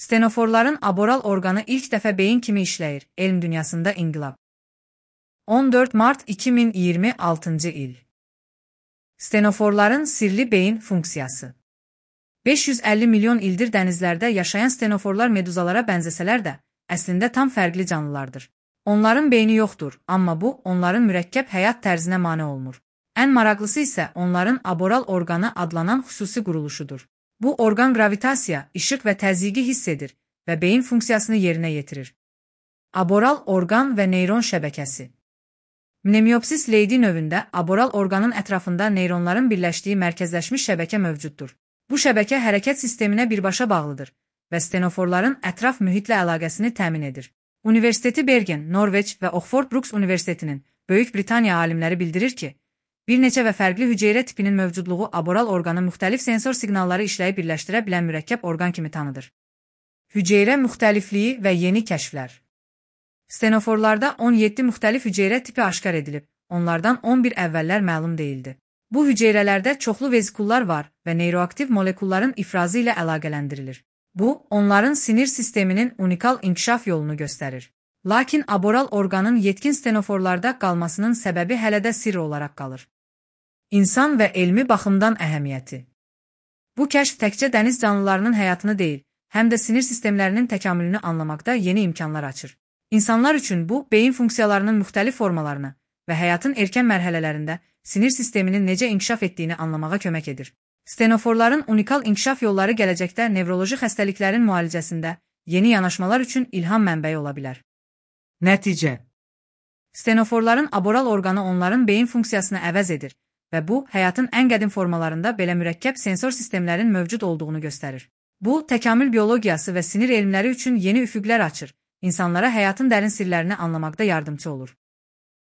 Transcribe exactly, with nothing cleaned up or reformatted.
Stenoforların aboral orqanı ilk dəfə beyin kimi işləyir. Elm dünyasında inqilab. on dörd mart iki min iyirmi altıncı il. Stenoforların sirli beyin funksiyası. beş yüz əlli milyon ildir dənizlərdə yaşayan stenoforlar meduzalara bənzəsələr də, əslində tam fərqli canlılardır. Onların beyni yoxdur, amma bu, onların mürəkkəb həyat tərzinə mane olmur. Ən maraqlısı isə onların aboral orqanı adlanan xüsusi quruluşudur. Bu orqan gravitasiya, işıq və təzyiqi hiss edir və beyin funksiyasını yerinə yetirir. Aboral orqan və neyron şəbəkəsi. Mnemiopsis leydi növündə aboral orqanın ətrafında neyronların birləşdiyi mərkəzləşmiş şəbəkə mövcuddur. Bu şəbəkə hərəkət sisteminə birbaşa bağlıdır və stenoforların ətraf mühitlə əlaqəsini təmin edir. Universiteti Bergen, Norveç və Oxford Brookes Universitetinin Böyük Britaniya alimləri bildirir ki, bir neçə və fərqli hüceyrə tipinin mövcudluğu aboral orqanı müxtəlif sensor siqnalları işləyib birləşdirə bilən mürəkkəb orqan kimi tanıdır. Hüceyrə müxtəlifliyi və yeni kəşflər. Stenoforlarda on yeddi müxtəlif hüceyrə tipi aşkar edilib, onlardan on bir əvvəllər məlum deyildi. Bu hüceyrələrdə çoxlu vezikullar var və neyroaktiv molekulların ifrazı ilə əlaqələndirilir. Bu, onların sinir sisteminin unikal inkişaf yolunu göstərir. Lakin aboral orqanın yetkin stenoforlarda qalmasının səbəbi hələ də sirr olaraq qalır. İnsan və elmi baxımdan əhəmiyyəti. Bu kəşf təkcə dəniz canlılarının həyatını deyil, həm də sinir sistemlərinin təkamülünü anlamaqda yeni imkanlar açır. İnsanlar üçün bu, beyin funksiyalarının müxtəlif formalarını və həyatın erkən mərhələlərində sinir sisteminin necə inkişaf etdiyini anlamağa kömək edir. Stenoforların unikal inkişaf yolları gələcəkdə nevroloji xəstəliklərin müalicəsində yeni yanaşmalar üçün ilham mənbəyi ola bilər. Nəticə. Stenoforların aboral orqanı onların beyin funksiyasını əvəz edir və bu, həyatın ən qədim formalarında belə mürəkkəb sensor sistemlərin mövcud olduğunu göstərir. Bu, təkamül biologiyası və sinir elmləri üçün yeni üfüqlər açır, insanlara həyatın dərin sirlərini anlamaqda yardımcı olur.